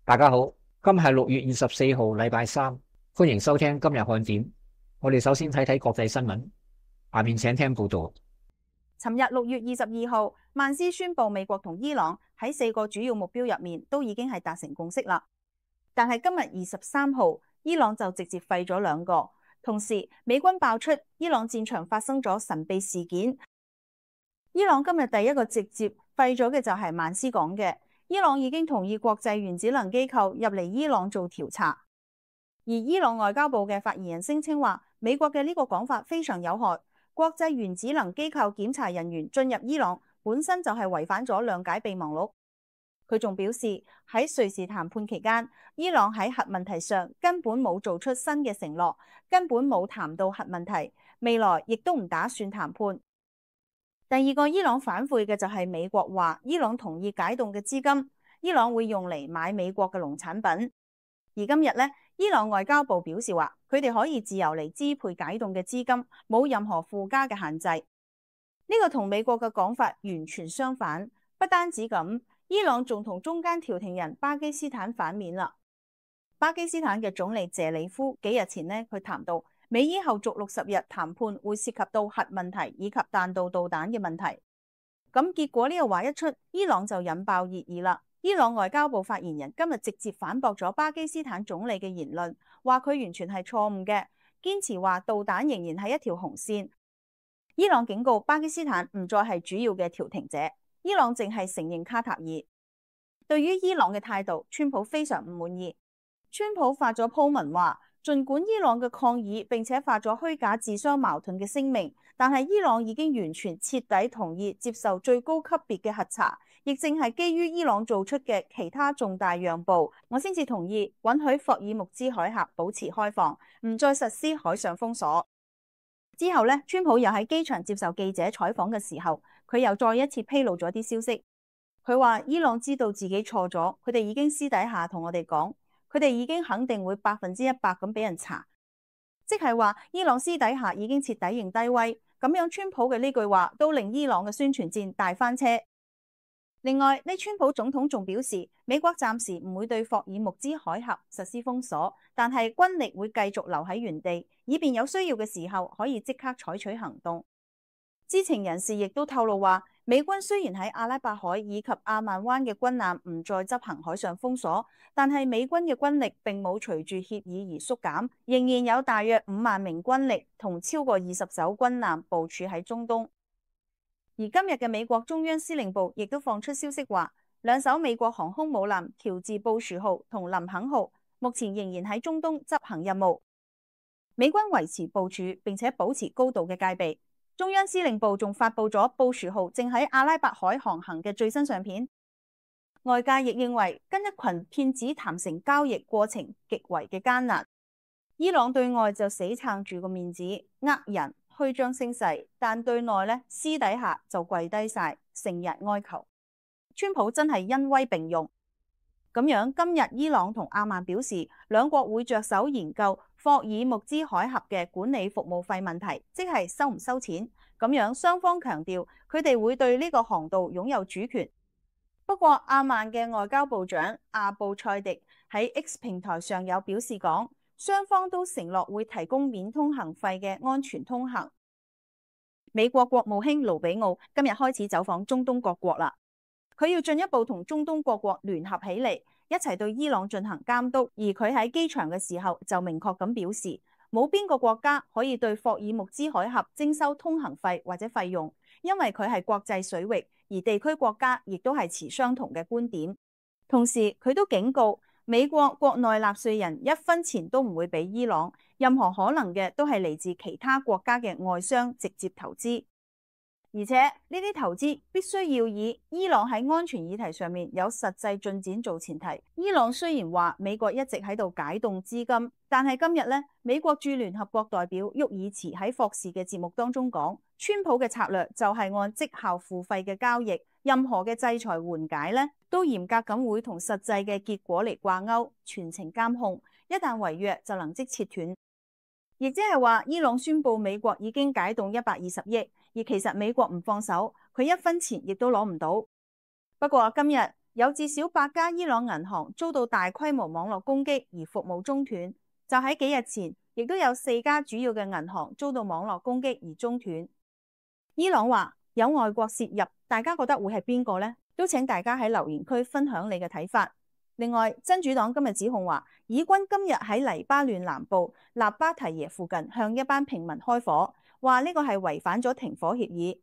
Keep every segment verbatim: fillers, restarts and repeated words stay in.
大家好，今日係六月二十四號，禮拜三，歡迎收聽今日看點。我哋首先睇睇國際新聞，下面請聽報道。尋日六月二十二號，曼斯宣布美國同伊朗喺四個主要目標入面都已經係達成共識啦。但係今日二十三號，伊朗就直接廢咗兩個。同時，美軍爆出伊朗戰場發生咗神秘事件。伊朗今日第一個直接廢咗嘅就係曼斯講嘅，伊朗已經同意國際原子能機構入嚟伊朗做調查。而伊朗外交部嘅發言人聲稱話，美國嘅呢個講法非常有害。國際原子能機構檢查人員進入伊朗本身就係違反咗諒解備忘錄。佢仲表示喺瑞士談判期間，伊朗喺核問題上根本冇做出新嘅承諾，根本冇談到核問題，未來亦都唔打算談判。第二個伊朗反悔嘅就係美國話，伊朗同意解凍嘅資金，伊朗會用嚟買美國嘅農產品。而今日呢，伊朗外交部表示話，佢哋可以自由嚟支配解凍嘅資金，冇任何附加嘅限制。呢個同美國嘅講法完全相反。不單止咁，伊朗仲同中間調停人巴基斯坦反面啦。巴基斯坦嘅總理謝里夫幾日前呢，佢談到美伊後續六十日談判會涉及到核問題以及彈道導彈嘅問題。咁結果呢個話一出，伊朗就引爆熱議啦。伊朗外交部發言人今日直接反駁咗巴基斯坦總理嘅言論，話佢完全係錯誤嘅，堅持話導彈仍然係一條紅線。伊朗警告巴基斯坦唔再係主要嘅調停者，伊朗淨係承認卡塔爾。對於伊朗嘅態度，川普非常唔滿意。川普發咗鋪文話，儘管伊朗嘅抗議並且發咗虛假自相矛盾嘅聲明，但係伊朗已經完全徹底同意接受最高級別嘅核查，亦正係基於伊朗做出嘅其他重大讓步，我先至同意允許霍爾木茲海峽保持開放，唔再實施海上封鎖。之後呢，川普又喺機場接受記者採訪嘅時候，佢又再一次披露咗啲消息。佢話伊朗知道自己錯咗，佢哋已經私底下同我哋講，佢哋已經肯定會百分之一百咁俾人查，即係話伊朗私底下已經徹底認低威。咁樣川普嘅呢句話都令伊朗嘅宣傳戰大翻車。另外，呢川普總統仲表示，美國暫時唔會對霍爾木茲海峽實施封鎖，但係軍力會繼續留喺原地，以便有需要嘅時候可以即刻採取行動。知情人士亦都透露話，美軍雖然喺阿拉伯海以及阿曼灣嘅軍艦唔再執行海上封鎖，但係美軍嘅軍力並冇隨住協議而縮減，仍然有大約五萬名軍力同超過二十艘軍艦部署喺中東。而今日嘅美國中央司令部亦都放出消息話，兩艘美國航空母艦喬治布殊號同林肯號目前仍然喺中東執行任務，美軍維持部署並且保持高度嘅戒備。中央司令部仲發佈咗布殊號正喺阿拉伯海航行嘅最新相片。外界亦認為跟一群騙子談成交易過程極為嘅艱難。伊朗對外就死撐住個面子，呃人虛張聲勢，但對內呢，私底下就跪低晒，成日哀求。川普真係恩威並用。咁樣今日伊朗同阿曼表示，兩國會着手研究霍爾木茲海峽嘅管理服務費問題，即係收唔收錢。咁樣雙方強調佢哋會對呢個航道擁有主權。不過阿曼嘅外交部長阿布塞迪喺 X 平台上有表示講，雙方都承諾會提供免通行費嘅安全通行。美國國務卿盧比奧今日開始走訪中東各國啦，佢要進一步同中東各國聯合起嚟，一齊對伊朗進行監督。而佢喺機場嘅時候就明確咁表示，冇邊個國家可以對霍爾木茲海峽徵收通行費或者費用，因為佢係國際水域，而地區國家亦都係持相同嘅觀點。同時佢都警告美國國內納稅人一分錢都唔會俾伊朗，任何可能嘅都係嚟自其他國家嘅外商直接投資。而且呢啲投資必須要以伊朗喺安全議題上面有實際進展做前提。伊朗雖然話美國一直喺度解凍資金，但係今日呢，美國駐聯合國代表沃爾茨喺霍士嘅節目當中講，川普嘅策略就係按績效付費嘅交易，任何嘅制裁緩解呢，都嚴格咁會同實際嘅結果嚟掛鈎，全程監控，一旦違約就能即切斷。亦即係話，伊朗宣布美國已經解凍一百二十億，而其實美國唔放手，佢一分錢亦都攞唔到。不過今日有至少八家伊朗銀行遭到大規模網絡攻擊而服務中斷。就喺幾日前，亦都有四家主要嘅銀行遭到網絡攻擊而中斷。伊朗話有外國涉入，大家覺得會係邊個呢？都請大家喺留言區分享你嘅睇法。另外，真主黨今日指控話，以軍今日喺黎巴嫩南部納巴提耶附近向一班平民開火，話呢個係違反咗停火協議。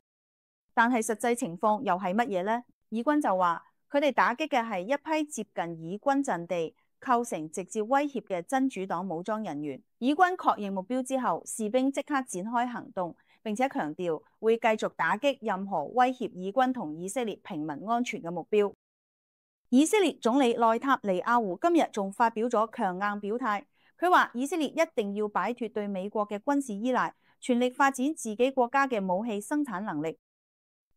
但係實際情況又係乜嘢呢？以軍就話佢哋打擊嘅係一批接近以軍陣地，構成直接威脅嘅真主黨武裝人員。以軍確認目標之後，士兵即刻展開行動，並且強調會繼續打擊任何威脅以軍同以色列平民安全嘅目標。以色列總理內塔尼亞胡今日仲發表咗強硬表態，佢話以色列一定要擺脫對美國嘅軍事依賴，全力發展自己國家嘅武器生產能力。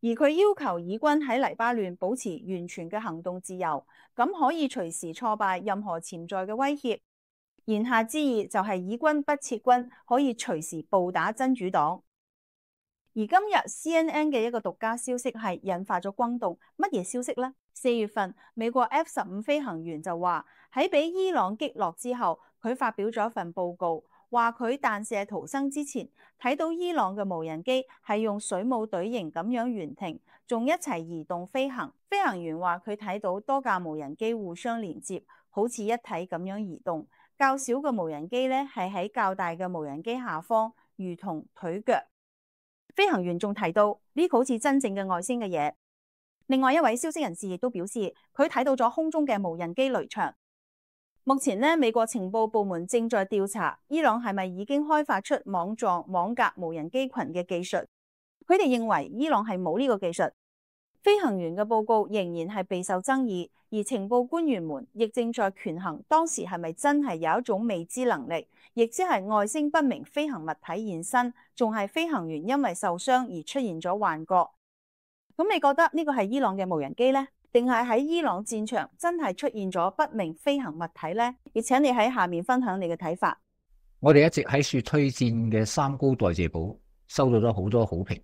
而佢要求以軍喺黎巴嫩保持完全嘅行動自由，咁可以隨時挫敗任何潛在嘅威脅。言下之意就係以軍不撤軍，可以隨時暴打真主黨。而今日 C N N 嘅一個獨家消息係引發咗轟動，乜嘢消息呢？四月份美國 F 十五飛行員就話喺俾伊朗擊落之後，佢發表咗一份報告，話佢彈射逃生之前睇到伊朗嘅無人機係用水母隊形咁樣懸停，仲一齊移動飛行。飛行員話佢睇到多架無人機互相連接，好似一體咁樣移動。較小嘅無人機呢係喺較大嘅無人機下方，如同腿腳。飛行員仲提到呢個好似真正嘅外星嘅嘢。另外一位消息人士亦都表示，佢睇到咗空中嘅無人機雷場。目前呢，美國情報部門正在調查伊朗係咪已經開發出網狀網格無人機群嘅技術。佢哋認為伊朗係冇呢個技術。飛行員嘅報告仍然係備受爭議，而情報官員們亦正在權衡當時係咪真係有一種未知能力，亦即係外星不明飛行物體現身，仲係飛行員因為受傷而出現咗幻覺。咁你覺得呢個係伊朗嘅無人機呢？定係喺伊朗戰場真係出現咗不明飛行物體呢？亦請你喺下面分享你嘅睇法。我哋一直喺說推薦嘅三高代謝寶收到咗好多好評，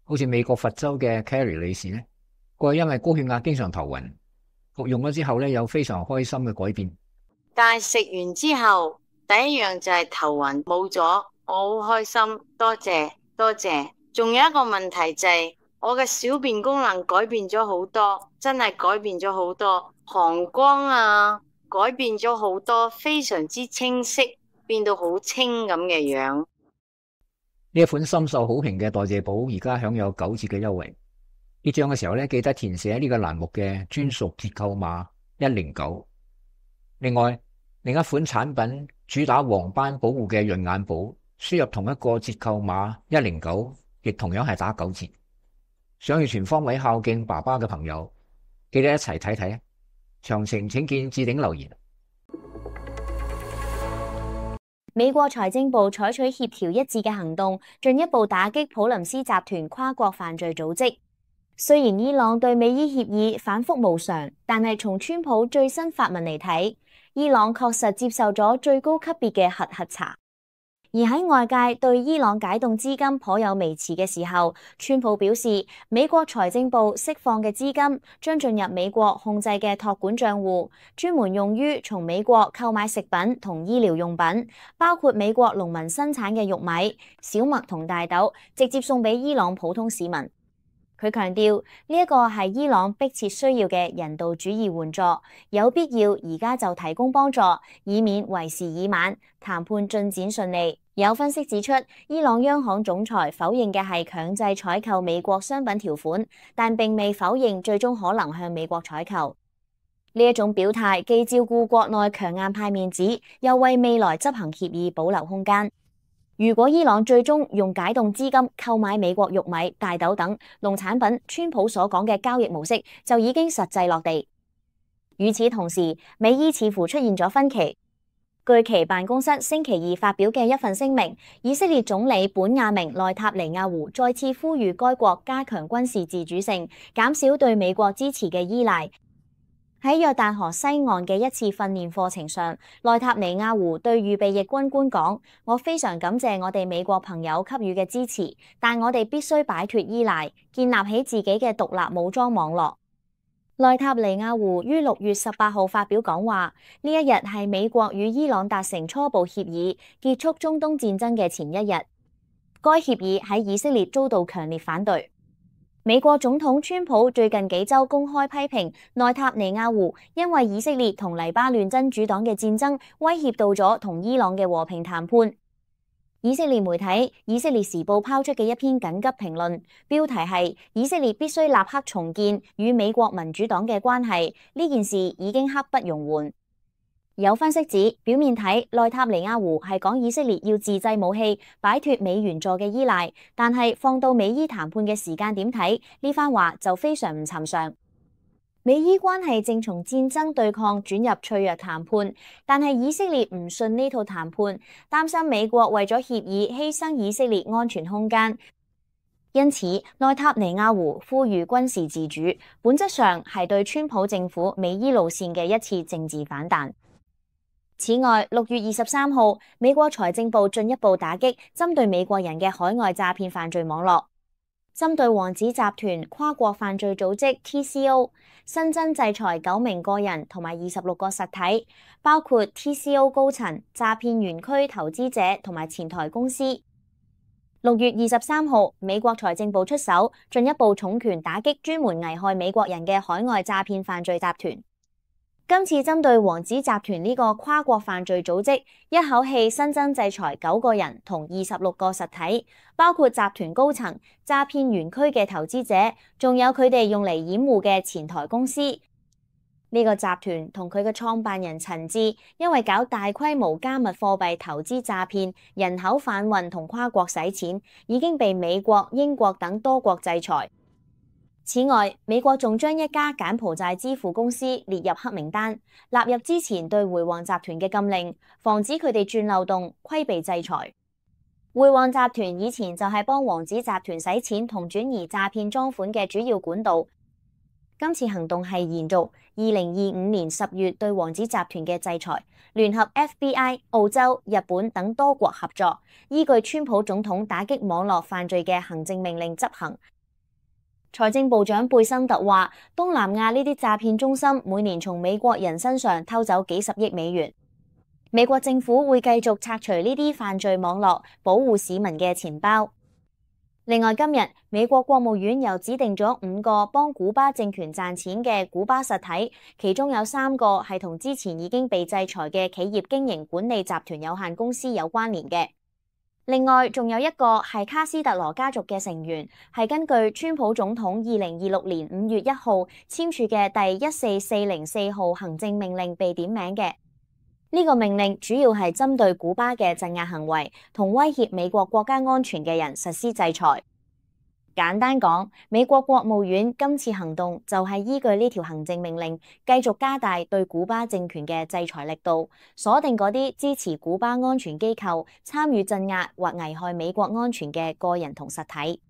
好似美國佛州嘅 Carrie 女士呢，佢因為高血壓經常頭暈，服用咗之後呢，有非常開心嘅改變。但係食完之後第一樣就係頭暈冇咗，我好開心，多謝多謝。仲有一個問題就係、是、我嘅小便功能改變咗好多，真係改變咗好多，膀胱啊改變咗好多，非常之清晰，變到好清咁嘅樣。呢一款深受好評嘅代謝寶而家享有九折嘅優惠。結賬嘅時候咧，記得填寫呢個欄目嘅專屬折扣碼一零九。另外，另一款產品主打黃斑保護嘅潤眼寶，輸入同一個折扣碼一零九，亦同樣係打九折。想要全方位孝敬爸爸嘅朋友，記得一齊睇睇啊！詳情請見置頂留言。美國財政部採取協調一致嘅行動，進一步打擊普林斯集團跨國犯罪組織。雖然伊朗對美伊協議反覆無常，但係從川普最新發文嚟睇，伊朗確實接受咗最高級別嘅核核查。而喺外界對伊朗解凍資金頗有微詞嘅時候，川普表示，美國財政部釋放嘅資金將進入美國控制嘅託管賬戶，專門用於從美國購買食品同醫療用品，包括美國農民生產嘅玉米、小麥同大豆，直接送俾伊朗普通市民。佢強調呢一個係伊朗迫切需要嘅人道主義援助，有必要而家就提供幫助，以免為時已晚，談判進展順利。有分析指出，伊朗央行總裁否認嘅係強制採購美國商品條款，但並未否認最終可能向美國採購。呢一種表態既照顧國內強硬派面子，又為未來執行協議保留空間。如果伊朗最終用解凍資金購買美國玉米、大豆等農產品，川普所講嘅交易模式就已經實際落地。與此同時，美伊似乎出現咗分歧。據其辦公室星期二發表嘅一份聲明，以色列總理本雅明內塔尼亞胡再次呼籲該國加強軍事自主性，減少對美國支持嘅依賴。喺約旦河西岸嘅一次訓練課程上，內塔尼亞胡對預備役軍官講：我非常感謝我哋美國朋友給予嘅支持，但我哋必須擺脫依賴，建立起自己嘅獨立武裝網絡。內塔尼亞胡於六月十八號發表講話，呢一日係美國與伊朗達成初步協議結束中東戰爭嘅前一日。該協議喺以色列遭到強烈反對。美國總統川普最近幾週公開批評內塔尼亞胡，因為以色列同黎巴嫩真主黨嘅戰爭威脅到咗同伊朗嘅和平談判。以色列媒體《以色列時報》拋出嘅一篇緊急評論，標題係以色列必須立刻重建與美國民主黨嘅關係，呢件事已經刻不容緩。有分析指，表面睇內塔尼亞胡係講以色列要自製武器，擺脫美元助嘅依賴，但係放到美伊談判嘅時間點睇，呢番話就非常唔尋常。美伊關係正從戰爭對抗轉入脆弱談判，但係以色列唔信呢套談判，擔心美國為咗協議犧牲以色列安全空間，因此內塔尼亞胡呼籲軍事自主，本質上係對川普政府美伊路線嘅一次政治反彈。此外，六月二十三號，美國財政部進一步打擊針對美國人嘅海外詐騙犯罪網絡。針對王子集團跨國犯罪組織 T C O， 新增制裁九名個人同埋二十六個實體，包括 T C O 高層、詐騙園區投資者同埋前台公司。六月二十三號，美國財政部出手，進一步重拳打擊專門危害美國人嘅海外詐騙犯罪集團。今次針對王子集團呢個跨國犯罪組織，一口氣新增制裁九個人同二十六個實體，包括集團高層、詐騙園區嘅投資者，仲有佢哋用嚟掩護嘅前台公司。呢個集團同佢嘅創辦人陳志，因為搞大規模加密貨幣投資詐騙、人口販運同跨國洗錢，已經被美國、英國等多國制裁。此外，美國仲將一家柬埔寨支付公司列入黑名單，納入之前對回旺集團嘅禁令，防止佢哋鑽漏洞，規避制裁。回旺集團以前就係幫王子集團洗錢同轉移詐騙贓款嘅主要管道。今次行動係延續二零二五年十月對王子集團嘅制裁，聯合 F B I、澳洲、日本等多國合作，依據川普總統打擊網絡犯罪嘅行政命令執行。財政部長貝森特話，東南亞呢啲詐騙中心每年從美國人身上偷走幾十億美元。美國政府會繼續拆除呢啲犯罪網絡，保護市民嘅錢包。另外，今日美國國務院又指定咗五個幫古巴政權賺錢嘅古巴實體，其中有三個係同之前已經被制裁嘅企業經營管理集團有限公司有關聯嘅。另外，仲有一個係卡斯特羅家族嘅成員，係根據川普總統二零二六年五月一號簽署嘅第一四四零四號行政命令被點名嘅。呢個命令主要係針對古巴嘅鎮壓行為同威脅美國國家安全嘅人實施制裁。簡單講，美國國務院今次行動就係依據呢條行政命令，繼續加大對古巴政權嘅制裁力度，鎖定嗰啲支持古巴安全機構、參與鎮壓或危害美國安全嘅個人同實體。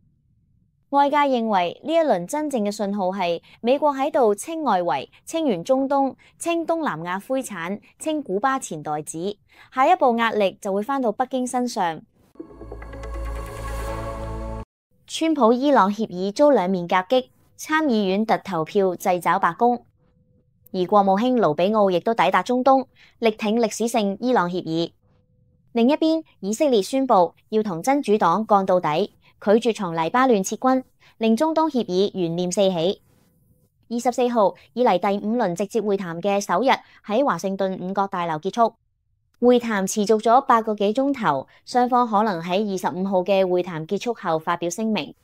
外界認為呢一輪真正嘅信號係美國喺度清外圍、清完中東、清東南亞灰產、清古巴錢袋子，下一步壓力就會返到北京身上。川普伊朗協議遭兩面夾擊，參議院突投票掣肘白宮，而國務卿盧比奧亦都抵達中東，力挺歷史性伊朗協議。另一邊，以色列宣布要同真主黨幹到底，拒絕從黎巴嫩撤軍，令中東協議懸念四起。二十四號以嚟第五輪直接會談嘅首日喺華盛頓五角大樓結束。會談持續咗八個幾鐘頭，雙方可能喺二十五號嘅會談結束後發表聲明。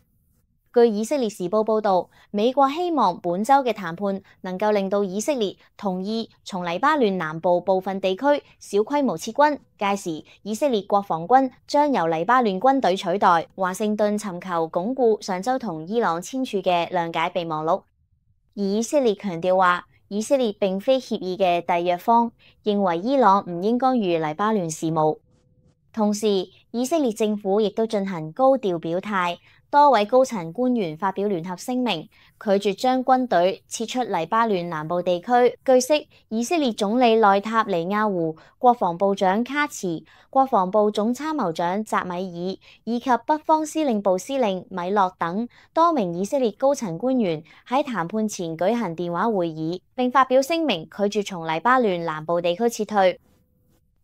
據以色列時報報導，美國希望本週嘅談判能夠令到以色列同意從黎巴嫩南部部分地區小規模撤軍，屆時以色列國防軍將由黎巴嫩軍隊取代。華盛頓尋求鞏固上週同伊朗簽署嘅諒解備忘錄，而以色列強調話，以色列並非協議嘅締約方，認為伊朗唔應干預黎巴嫩事務。同時，以色列政府亦都進行高調表態，多位高層官員發表聯合聲明，拒絕將軍隊撤出黎巴嫩南部地區。據悉，以色列總理內塔尼亞胡、國防部長卡茨、國防部總參謀長扎米爾以及北方司令部司令米洛等多名以色列高層官員喺談判前舉行電話會議，並發表聲明拒絕從黎巴嫩南部地區撤退。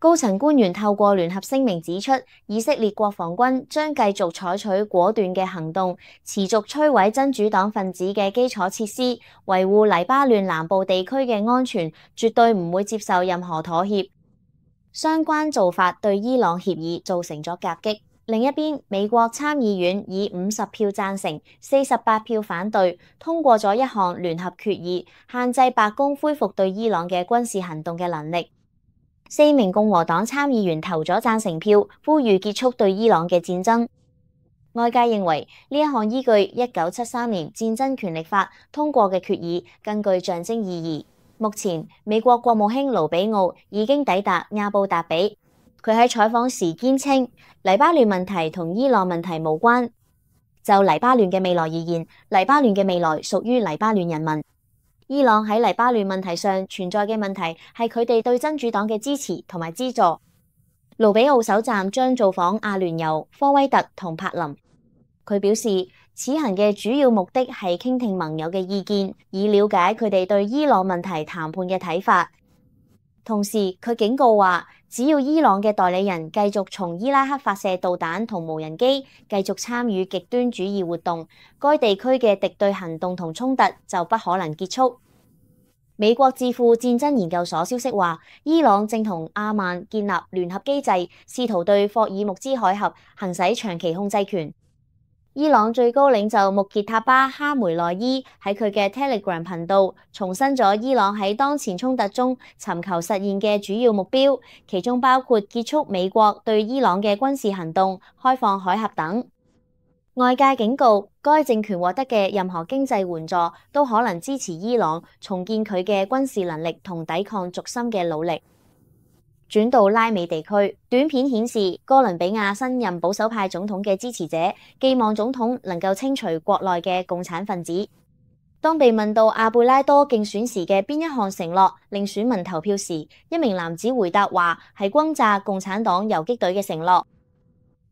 高層官員透過聯合聲明指出，以色列國防軍將繼續採取果斷嘅行動，持續摧毀真主黨分子嘅基礎設施，維護黎巴嫩南部地區嘅安全，絕對唔會接受任何妥協。相關做法對伊朗協議造成咗夾擊。另一邊，美國參議院以五十票贊成、四十八票反對，通過咗一項聯合決議，限制白宮恢復對伊朗嘅軍事行動嘅能力。四名共和黨參議員投咗贊成票，呼籲結束對伊朗嘅戰爭。外界認為呢一項依據一九七三年戰爭權力法通過嘅決議更具象徵意義。目前，美國國務卿盧比奧已經抵達亞布達比，佢喺採訪時堅稱，黎巴嫩問題同伊朗問題無關。就黎巴嫩嘅未來而言，黎巴嫩嘅未來屬於黎巴嫩人民。伊朗喺黎巴嫩問題上存在嘅問題係佢哋對真主黨嘅支持同埋資助。盧比奧首站將造訪阿聯酋、科威特同柏林。佢表示，此行嘅主要目的係傾聽盟友嘅意見，以了解佢哋對伊朗問題談判嘅睇法。同時，佢警告話，只要伊朗嘅代理人繼續從伊拉克發射導彈同無人機，繼續參與極端主義活動，該地區嘅敵對行動同衝突就不可能結束。美國智庫戰爭研究所消息話，伊朗正同阿曼建立聯合機制，試圖對霍爾木茲海峽行使長期控制權。伊朗最高領袖穆傑塔巴哈梅內伊喺佢嘅 Telegram 頻道重申咗伊朗喺當前衝突中尋求實現嘅主要目標，其中包括結束美國對伊朗嘅軍事行動、開放海峽等。外界警告，該政權獲得嘅任何經濟援助都可能支持伊朗重建佢嘅軍事能力同抵抗軸心嘅努力。轉到拉美地區，短片顯示哥倫比亞新任保守派總統嘅支持者寄望總統能夠清除國內嘅共產分子。當被問到阿貝拉多競選時嘅邊一項承諾令選民投票時，一名男子回答話係轟炸共產黨游擊隊嘅承諾，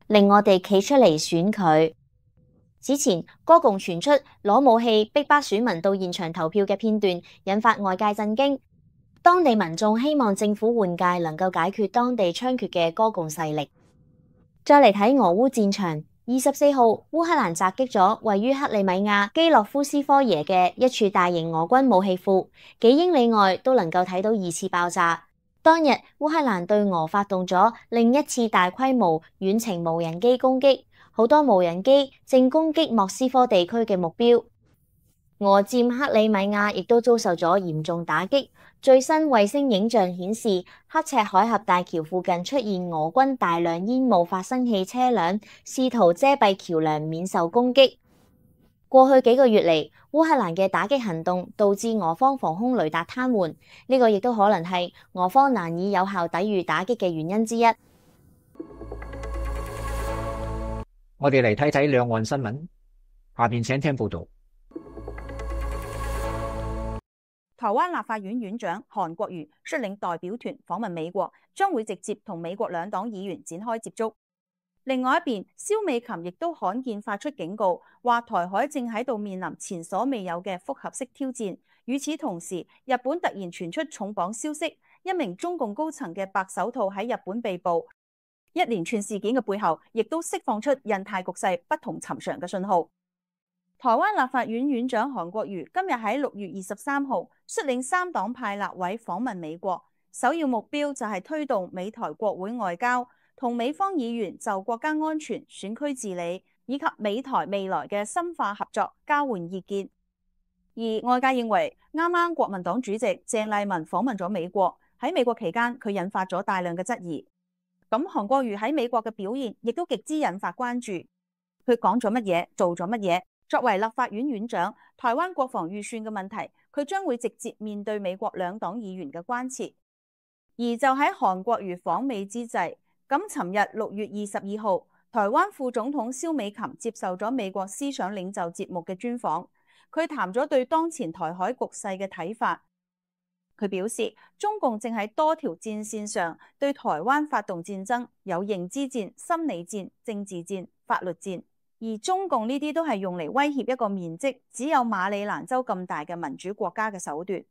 令我哋企出嚟選佢。此前，哥共傳出攞武器逼迫選民到現場投票嘅片段，引發外界震驚。當地民眾希望政府換屆能夠解決當地猖獗嘅哥共勢力。再嚟睇俄烏戰場，二十四號烏克蘭襲擊咗位於克里米亞基洛夫斯科耶嘅一處大型俄軍武器庫，幾英里外都能夠睇到二次爆炸。當日烏克蘭對俄發動咗另一次大規模遠程無人機攻擊。好多無人機正攻擊莫斯科地區嘅目標，俄佔克里米亞亦都遭受咗嚴重打擊。最新衛星影像顯示，刻赤海峽大橋附近出現俄軍大量煙霧發生器車輛，試圖遮蔽橋樑免受攻擊。過去幾個月嚟，烏克蘭嘅打擊行動導致俄方防空雷達癱瘓，呢個亦都可能係俄方難以有效抵禦打擊嘅原因之一。我哋嚟睇睇兩岸新聞，下邊請聽報道。台灣立法院院長韓國瑜率領代表團訪問美國，將會直接同美國兩黨議員展開接觸。另外一邊，蕭美琴亦都罕見發出警告，話台海正喺度面臨前所未有嘅複合式挑戰。與此同時，日本突然傳出重磅消息，一名中共高層嘅白手套喺日本被捕。一連串事件嘅背後，亦都釋放出印太局勢不同尋常嘅信號。台灣立法院院長韓國瑜今日喺六月二十三號率領三黨派立委訪問美國，首要目標就係推動美台國會外交，同美方議員就國家安全、選區治理以及美台未來嘅深化合作交換意見。而外界認為，啱啱國民黨主席鄭麗文訪問咗美國，喺美國期間佢引發咗大量嘅質疑。咁韓國瑜喺美國嘅表現亦都極之引發關注。佢講咗乜嘢，做咗乜嘢？作為立法院院長，台灣國防預算嘅問題，佢將會直接面對美國兩黨議員嘅關切。而就喺韓國瑜訪美之際，咁，尋日六月二十二號，台灣副總統蕭美琴接受咗美國思想領袖節目嘅專訪，佢談咗對當前台海局勢嘅睇法。佢表示，中共正喺多條戰線上對台灣發動戰爭，有認知戰、心理戰、政治戰、法律戰，而中共呢啲都係用嚟威脅一個面積只有馬里蘭州咁大嘅民主國家嘅手段。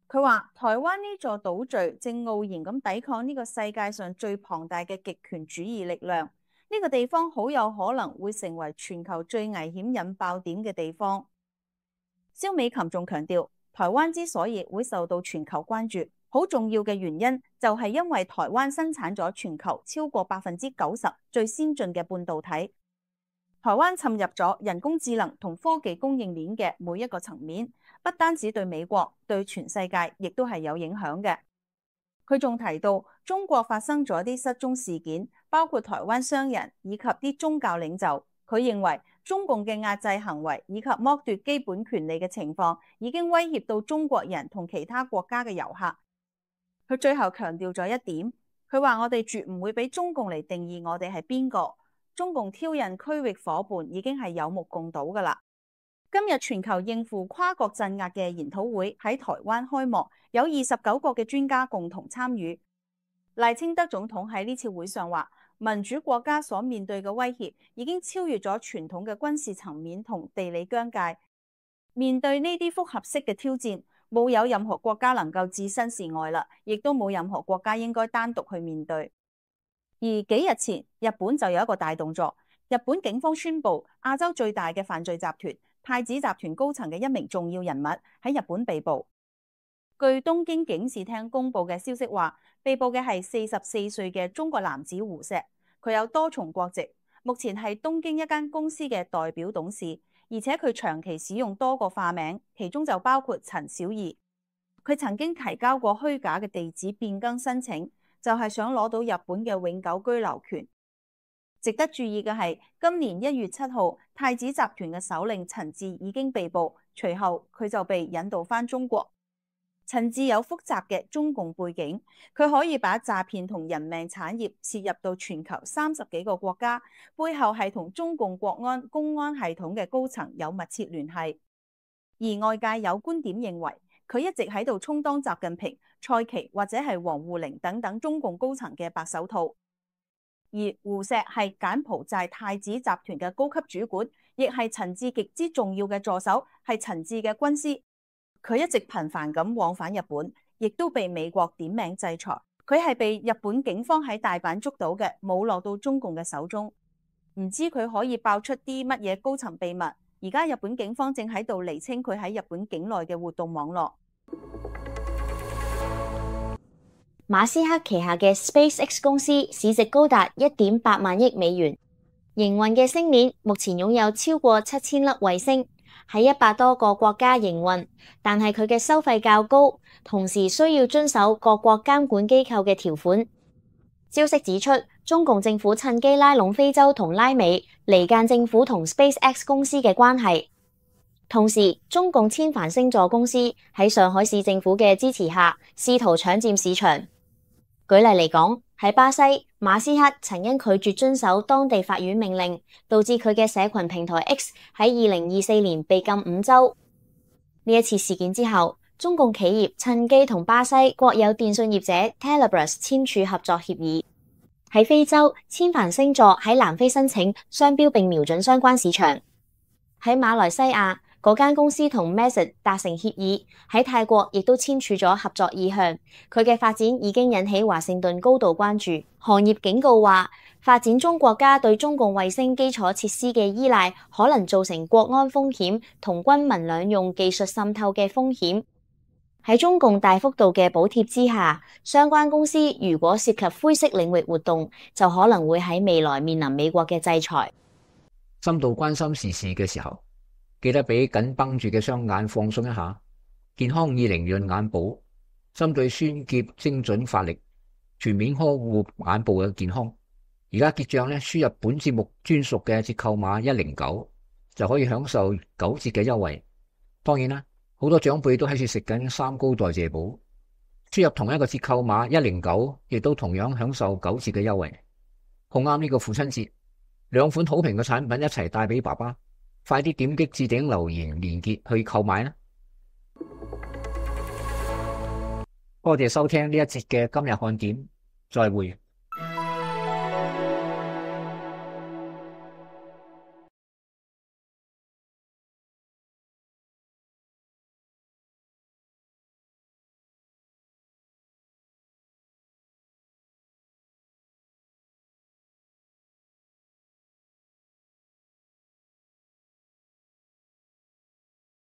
佢話台灣呢座島嶼正傲然咁抵抗呢個世界上最龐大嘅極權主義力量，呢個地方好有可能會成為全球最危險引爆點嘅地方。蕭美琴仲強調，台灣之所以會受到全球關注，好重要嘅原因就係因為台灣生產咗全球超過百分之九十最先進嘅半導體。台灣侵入咗人工智能同科技供應鏈嘅每一個層面，不單止對美國，對全世界亦都係有影響嘅。佢仲提到，中國發生咗啲失蹤事件，包括台灣商人以及啲宗教領袖。佢認為中共嘅壓制行為以及剝奪基本權利嘅情況，已經威脅到中國人同其他國家嘅遊客。佢最後強調咗一點，佢話我哋絕唔會俾中共嚟定義我哋係邊個。中共挑釁區域夥伴已經係有目共睹㗎啦。今日全球應付跨國鎮壓嘅研討會喺台灣開幕，有二十九個嘅專家共同參與。賴清德總統喺呢次會上話，民主國家所面對嘅威脅已經超越咗傳統嘅軍事層面同地理疆界。面對呢啲複合式嘅挑戰，冇有任何國家能夠置身事外啦，亦都冇任何國家應該單獨去面對。而幾日前，日本就有一個大動作，日本警方宣布亞洲最大嘅犯罪集團太子集團高層嘅一名重要人物喺日本被捕。據東京警視廳公布嘅消息話，被捕嘅係四十四歲嘅中國男子胡錫，佢有多重國籍，目前係東京一間公司嘅代表董事，而且佢長期使用多個化名，其中就包括陳小儀。佢曾經提交過虛假嘅地址變更申請，就係想攞到日本嘅永久居留權。值得注意嘅係，今年一月七號，太子集團嘅首領陳志已經被捕，隨後佢就被引渡返中國。陳志有複雜嘅中共背景，佢可以把詐騙同人命產業涉入到全球三十幾個國家，背後係同中共國安公安系統嘅高層有密切聯繫。而外界有觀點認為，佢一直喺度充當習近平、蔡奇或者係王滬寧等等中共高層嘅白手套。而胡錫係柬埔寨太子集團嘅高級主管，亦係陳志極之重要嘅助手，係陳志嘅軍師。佢一直頻繁咁往返日本，亦都被美國點名制裁。佢係被日本警方喺大阪捉到嘅，冇落到中共嘅手中。唔知佢可以爆出啲乜嘢高層秘密。而家日本警方正喺度釐清佢喺日本境內嘅活動網絡。馬斯克旗下嘅 SpaceX 公司市值高達一點八萬億美元，營運嘅星鏈目前擁有超過七千粒衛星，喺一百多個國家營運，但係佢嘅收費較高，同時需要遵守各國監管機構嘅條款。消息指出，中共政府趁機拉攏非洲同拉美，離間政府同 SpaceX 公司嘅關係。同時，中共千帆星座公司喺上海市政府嘅支持下，試圖搶佔市場。舉例嚟講，喺巴西，馬斯克曾因拒絕遵守當地法院命令，導致佢嘅社群平台 X 喺二零二四年被禁五週。呢一次事件之後，中共企業趁機同巴西國有電信業者 Telebras 簽署合作協議。喺非洲，千帆星座喺南非申請商標並瞄準相關市場。喺馬來西亞，嗰間公司同 Message 達成協議，喺泰國亦都簽署咗合作意向。佢嘅發展已經引起華盛頓高度關注。行業警告話，發展中國家對中共衛星基礎設施嘅依賴，可能造成國安風險同軍民兩用技術滲透嘅風險。喺中共大幅度嘅補貼之下，相關公司如果涉及灰色領域活動，就可能會喺未來面臨美國嘅制裁。深度關心時事嘅時候，記得俾緊繃住嘅雙眼放鬆一下。健康以靈潤眼保，針對酸澀精準發力，全面呵護眼部嘅健康。而家結賬咧，輸入本節目專屬嘅折扣碼一零九，就可以享受九折嘅優惠。當然啦，好多長輩都喺處食緊三高代謝寶，輸入同一個折扣碼一零九，亦都同樣享受九折嘅優惠。好啱呢個父親節，兩款好評嘅產品一齊帶俾爸爸，快啲點擊置頂留言連結去購買啦！多謝收聽呢一節嘅今日看點，再會。